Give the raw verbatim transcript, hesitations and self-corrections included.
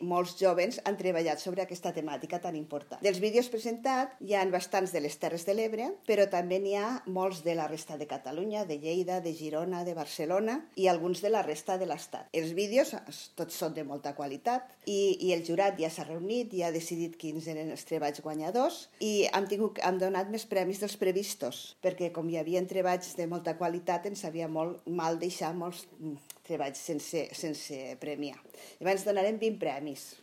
molts jóvens han treballat sobre aquesta temàtica tan important. Dels vídeos presentats hi ha bastants de les Terres de l'Ebre, però també n'hi ha molts de la resta de Catalunya, de Lleida, de Girona, de Barcelona i alguns de la resta de l'Estat. Els vídeos tots són de molta qualitat i, i el jurat ja s'ha reunit i ha decidit quins eren els treballs guanyadors i hem, tingut, hem donat més premis dels previstos, perquè com hi havia treballs de molta qualitat ens sabia molt mal deixar molts treballs sense, sense premiar. Llavors donarem vint premis.